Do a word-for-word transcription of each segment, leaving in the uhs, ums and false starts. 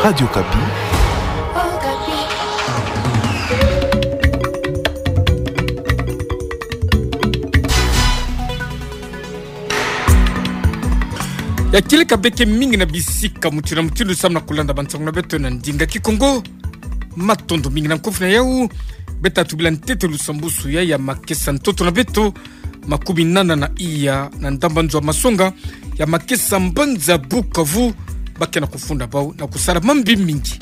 Radio Okapi. Ya kieleka beke mingi na bisika mutindu na mutindu samu na kulanda bansangu na beto na ndinga Kikongo. Matondo mingi na nkofi na yau. Beta tubila ntete lusambusu ya, ya makesa ntoto na beto, makumi nana na iya na ndamba nzo ya masonga ya makesa mbanza Bukavu, ba ke na kufunda bau na kusala mambi mingi.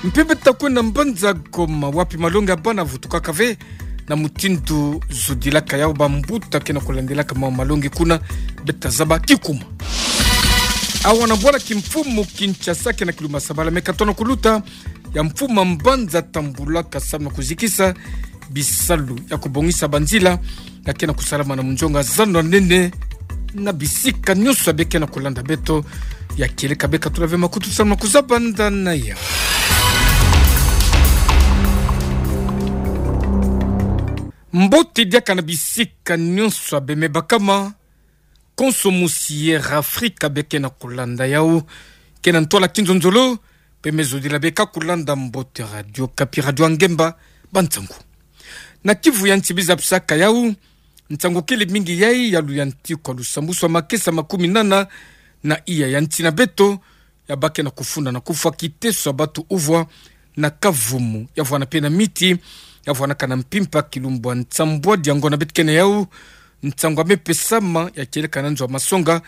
Mpe beta kwenda mbanza Goma, wapi malongi ya bana vutukaka ve na mutindu zodilaka yau, bambuta ke na kulandelaka mau malongi kuna, beta zaba kikuma. Awa na bwala kimfumu Kinshasa ke na kilumba sabala me katona kuluta, ya mfumu ya mbanza tambulaka samu na kuzikisa bisalu ya kubongisa banzila ya ke na kusalama na munzonga zando ya nene na bisika nyonso ya be ke na kulanda beto. Ya kieleka beka tula ve makutu samu na kuzabanda na ya. Mbote diaka na bisika nyonso ya be me bakama. Konso mosi Air Afrika be ke na kulanda yau, ke na ntwala kinzonzolo, mpe me zodila beka kulanda mbote Radio Okapi, radio ya ngemba bansangu. Na Kivu ya nti biza pisaka yau, nsangu kele mingi yai ya luyantikwa lusambusu ya makesa makumi nana na iya ya nti na beto, ya ba ke na kufunda na kufwa kiteso ya batu uvwa na kavumu, ya vwana mpe na miti, ya vwanaka na mpimpa kilumbu ya nsambwadi ya ngonda beto ke na yau. Nsangu ya me pesama ya kieleka na nzo ya masonga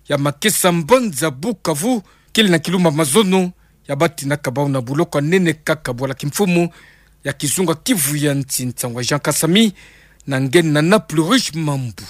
ya makesa mbanza Bukavu, kele na kilumbu ya mazono, ya batinaka bau na buloko ya nene kaka bwala kimfumu ya kizunga Kivu ya nti, nsangu ya Jean Kasami, na nge na Naplurush Mambu.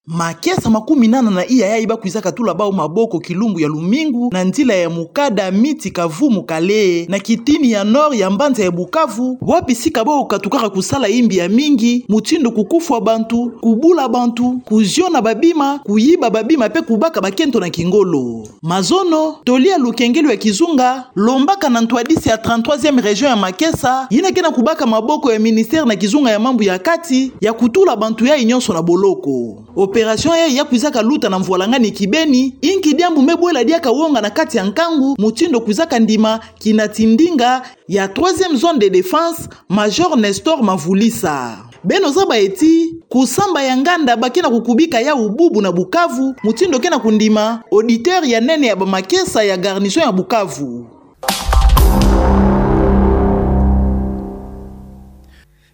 Makesa makumi nana na iya yai ba kwizaka tula bau maboko kilumbu ya lumingu na nzila ya mukada miti Kavumu Kale, na kitini ya nord ya mbanza ya Bukavu, wapi sika bau katukaka kusala imbi ya mingi, mutindu kukufwa bantu, kubula bantu, kuziona babima, kuyiba babima mpe kubaka bakento na kingolo. Mazono, toli ya lukengelo ya kizunga lombaka na ntwadisi ya trente-troisième région ya makesa, yina ke na kubaka maboko ya ministère na kizunga ya mambu ya kati, ya kutula bantu yai nyonso na boloko. Opération yai ya kwizaka luta na mvwalangani kibeni, inki diambu me bwela diaka wonga na kati ya nkangu, mutindu kwizaka ndima kina tindinga ya troisième zone de défense, Major Nestor Mavulisa. Beno zaba ti, kusamba ya nganda ba ke na kukubika yau bubu na Bukavu, mutindu ke na kundima auditeur ya nene ya bamakesa ya garnison ya Bukavu.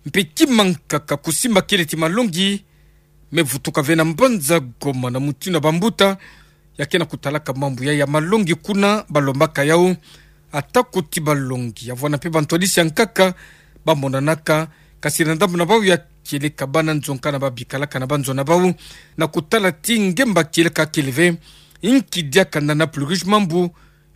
Mpe kimankaka kusimba kele ti malongi me vutuka ve na mbanza Goma na mutindu ya bambuta ya ke na kutalaka mambu yai ya malongi kuna, ba lombaka yau ata kuti balongi, ya vwana mpe bantwadisi ya nkaka ba monanaka, kasi na ndambu na bau ya kieleka bana nzo nkana ba bikalaka na banzo na bau, na kutala ti ngemba kieleka kele ve. Inki diaka na Naplurush Mambu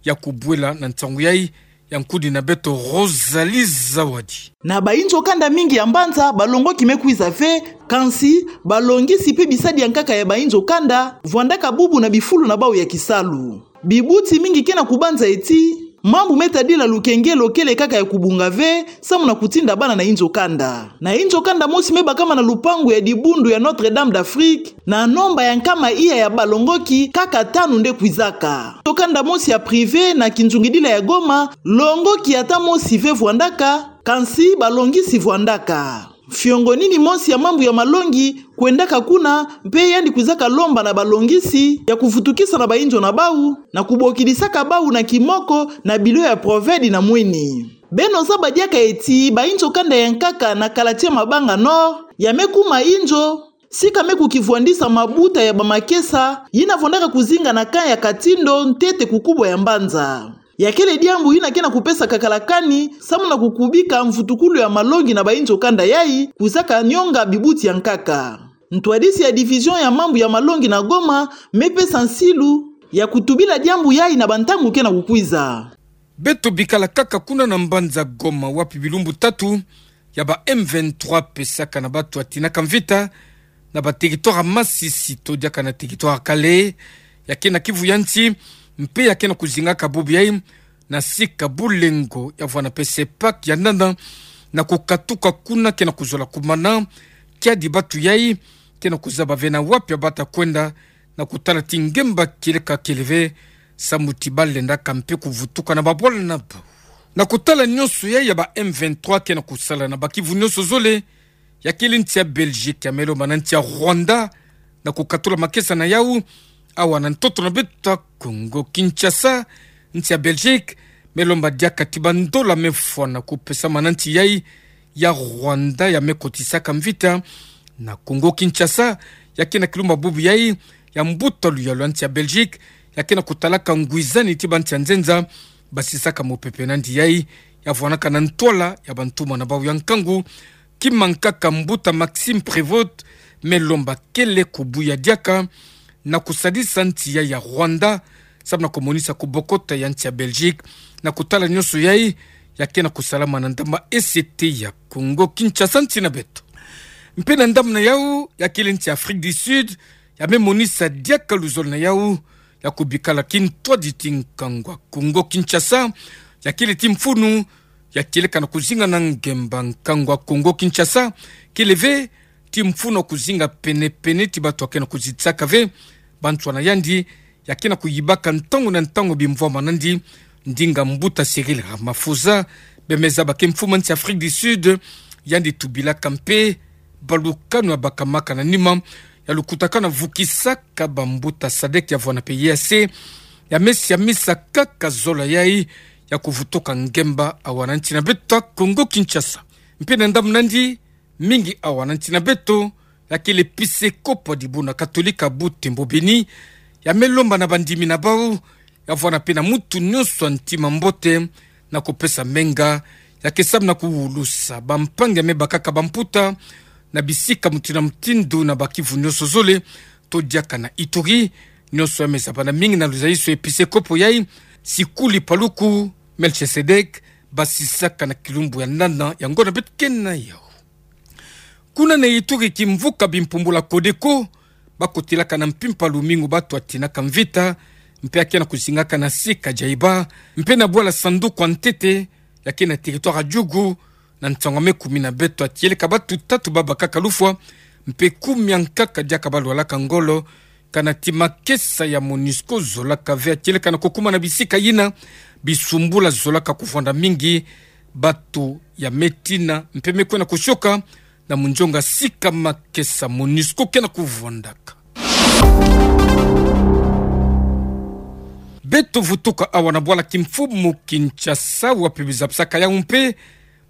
ya kubwela na nsangu yai, ya nkudi na beto Rosalie Zawadi. Na bainzo kanda mingi ya mbanza, balongoki me kwiza ve, kansi balongisi mpe bisadi ya nkaka ya bainzo kanda vwandaka bubu na bifulu na bau ya kisalu. Bibuti mingi ke na kubanza ti mambu me tadila lukengelo kele kaka ya kubunga ve, samu na kutinda bana na inzo kanda. Na inzo kanda mosi me bakama na lupangu ya dibundu ya Notre-Dame d'Afrique, na nomba ya nkama iya ya balongoki, kaka tanu nde kwizaka. Inzo kanda mosi ya privé na kinzungidila ya Goma, longoki ata mosi ve vwandaka, kansi balongisi vwandaka. Fiongonini mosi ya mambu ya malongi kwendaka kuna, mpe yandi kwizaka lomba na balongisi ya kuvutukisa na bainzo na bau, na kubokidisaka bau na kimoko na bilo ya provedi na mwini. Beno zaba diaka ti bainzo kanda ya nkaka na Kalatia Mabanga Nord, ya me kuma inzo sika me kukivwandisa mabuta ya bamakesa yina vwandaka kuzinga na camp ya Katindo, ntete kukubo ya mbanza. Ya kele diambu yina ke na kupesa kakala kani, samu na kukubika mvutukulu ya malongi na bainzo kanda yai, kwizaka nionga bibuti ya nkaka. Ntwadisi ya division ya mambu ya malongi na Goma me pesa nsilu ya kutubila diambu yai na bantangu ke na kukwiza. Beto bikala kaka kuna na mbanza Goma, wapi bilumbu tatu ya ba M vingt-trois pesaka na batu ya tinaka mvita na ba territoire ya Masisi to diaka na territoire ya Kale, ya ke na Kivu ya nti, mpe ya ke na kuzingaka bubu yai na sika Bulengo, ya vwana mpe Sepak ya nana, na kukatuka kuna ke na kuzola kumana. Kiadi batu yai ke na kuzaba ve na wapi ya bata kwenda, na kutala ti ngemba kieleka kele ve samu ti balendaka mpe kuvutuka na babwala na bau. Na kotala nyonso yai ya ba M vingt-trois ke na kosala na bakivu nyonso zole, ya kele nti ya Belgique ya me lomba na nti ya Rwanda na kokatula makesa na yau awa na ntoto na beto ya Congo Kinshasa. Nti ya Belgique me lomba diaka ti bandola me fwana kopesama na nti yai ya Rwanda ya me kotisaka mvita na Congo Kinshasa, ya ke na kilumba bubu yai ya mbuta luyalu ya nti ya Belgique, ya ke na kotalaka ngwizani ti banti ya nzenza basisaka mopepe na nti yai, ya vwanaka na ntwala ya bantumwa na bau ya nkangu. Kima nkaka mbuta Maxime Prévost me lomba kele kubuya diaka na kosadisa nti yai ya Rwanda, samu na komonisa kobokota ya nti ya Belgique. Na kotala nyonso yai, ya ke na kosalama na ndambu ya E C T ya Congo Kinshasa, nti na beto. Mpe na ndambu na yau, ya kele nti ya Afrique du Sud, ya me monisa diaka luzolo na yau ya kobikala kintwadi ti nkangu ya Congo Kinshasa. Ya kele ti mfunu ya kieleka na kozinga na ngemba nkangu ya Congo Kinshasa, kele ve ti mfunu ya kozinga penepene ti bato ya ke na kozitisaka ve banswa na yandi, ya ke na koyibaka ntangu na ntangu bimvwama na yandi, ndinga mbuta Cyril Ramaphosa, be me zaba ke mfumu ya nti Afrique du Sud. Yandi tubilaka mpe balukanu ya bakamaka na nima ya lukutakanu ya vukisaka bambuta sadek ya vwana pe E A C, ya me siamisa kaka zola yai ya kovutuka ngemba awa na nti na beto ya Congo Kinshasa. Mpe na ndambu na yandi, mingi awa na nti na beto, ya kele episekopo ya dibundu katolika Butembo Beni, ya me lomba na bandimi na bau ya vwana mpe na mutu nyonso ya ntima mbote na kopesa menga, ya ke samu na kuwulusa bampangi ya me bakaka bamputa na bisika mutindu na mutindu na bakivu nyonso zole, to diaka na Ituri. Nyonso ya me zabana mingi na luzaiso ya episekopo yai, Sikuli Paluku Melchisedek, basisaka na kilumbu ya nana ya ngonda beto ke na yau. Kuna na Ituri, kimvuka bimpumbula Codeco, bakotilaka na mpimpa lumingu bato ya tinaka mvita, mpe ya ke na kozingaka na sika Djaïba, mpe na bwala sanduku ya ntete, ya ke na territoire ya Djugu, na nsangu ya me kumi na beto ya kieleka bato tatu babakaka lufwa, mpe kumi ya nkaka diaka balwalaka ngolo, kana ti makesa ya Monusco zolaka ve ya kieleka na kokuma na bisika yina bisumbula zolaka kuvwanda mingi bato ya me tina, mpe me kwenda koshoka na munzonga sika makesa Monusco ke na kuvwandaka. Beto vutuka awa na bwala kimfumu Kinshasa, wapi bizapisaka yau mpe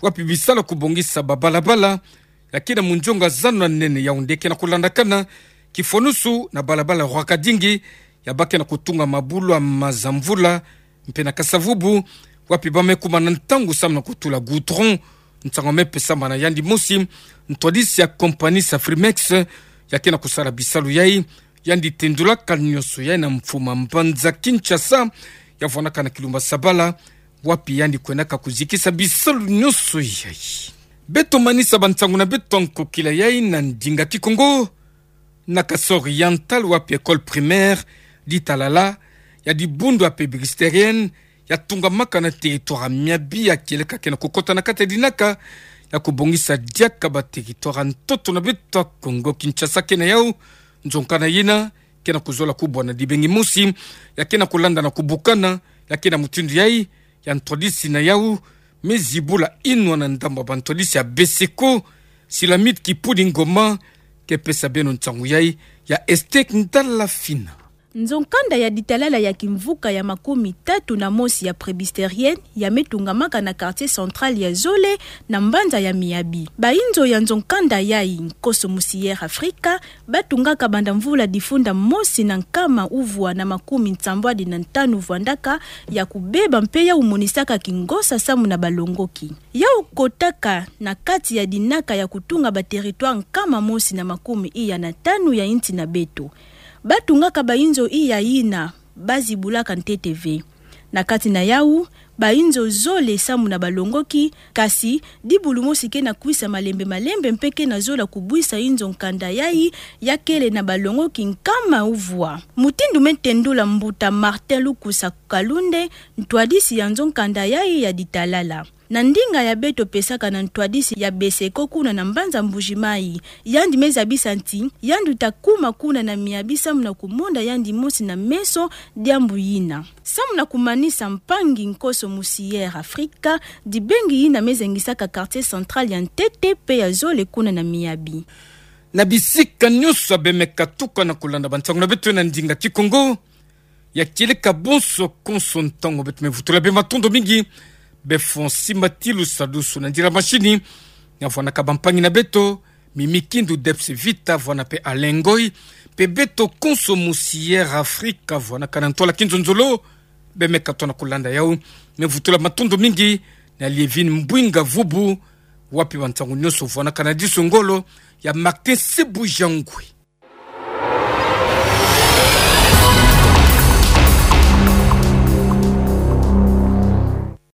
wapi bisala kubongisa babalabala ya ke na munzonga zana nene Yaoundé ke na kulandakana, kifwanusu na balabala Roi Kadingi, ya ba ke na kutunga mabulu ya maza mvula, mpe na Kasa-Vubu, wapi ba me kuma na ntangu samu na kutula goudron. Nsangu ya me pesama na yandi mosi ntwadisi ya compagnie Safrimex, ya ke na kusala bisalu yai, yandi tendulaka nyonso yai na mfuma mbanza Kinshasa, ya vwanaka na kilumba Sabala, wapi yandi kwendaka kuzikisa bisalu nyonso yai. Beto manisa bansangu na beto ya nkokila yai na ndinga Kikongo, na Kasaï Oriental, wapi école primaire Ditalala, ya dibundu ya presbytérienne, ya tungamaka na territoire ya Miabi, ya kieleka ke na kukota na kati ya dinaka ya kubongisa diaka ba territoire ya ntoto na beto ya Congo Kinshasa ke na yau. Nzonkanda yina ke na kuzola kubwa na dibengi mosi, ya ke na kulanda na kubukana, ya ke na mutindu yai ya ntwadisi na yau me zibula inwa na ndambu ya bantwadisi ya Beseko, Silamit Kipudi Ngoma, ke pesa beno nsangu yai ya Estek Ndalafina. Nzonkanda ya Ditalala ya kimvuka ya makumi tatu na mosi ya presbytérienne ya me tungamaka na quartier central ya zole na mbanza ya Miabi. Bayinzo ya nzonkanda yai, Nkoso Musier Afrika, ba tungaka banda mvula difunda mosi na nkama uvwa na makumi nsambwadi na ntanu vwandaka, ya kubeba mpe ya kumonisaka kingosa samu na balongoki. Ya kukotaka na kati ya dinaka ya kutunga ba territoire nkama mosi na makumi iya na tanu ya insi na beto. Ba tungaka bayinzo iya yina ba zibulaka ntete ve. Na kati na yau, bayinzo zole samu na balongoki, kasi dibulu mosi ke na kwisa malembe malembe mpe ke na zola kubwisa yinzo nkanda yai ya kele na balongoki nkama uvwa. Mutindu me tendula mbuta Martin Lukusa Kalunde, ntwadisi ya nzonkanda yai ya Ditalala. Na ndinga ya beto pesaka na ntwadisi ya Beseko kuna na mbanza Mbuji-Mayi, yandi me zabisa nti yandi uta kuma kuna na miabi samu na kumonda yandi mosi na meso diambu yina. Samu na kumanisa mpangi Konso Musière Afrika, dibengi yina me zengisaka quartier central ya ntete mpe ya zole kuna na miabi. Na bisika nyonso abe me katuka na kulanda bansangu na beto na ndinga Kikongo, ya kieleka bonso konso ntangu beto me vutula beno matondo mingi. Be Fonsi Matilu Sadusu na ndira mashini, na vwanaka bampangi na beto, Mimi Kindu, Debs Vita, vwana mpe Alain Ngoy, mpe beto Konso Musière Afrika, vwanaka na ntwala kinzonzolo, be me katuka na kulanda yawu. Me vutula matondo mingi na Lievine Mbwinga Vubu, wapi bansangu nyonso vwanaka na diso ngolo, ya Martin Sebujangwe.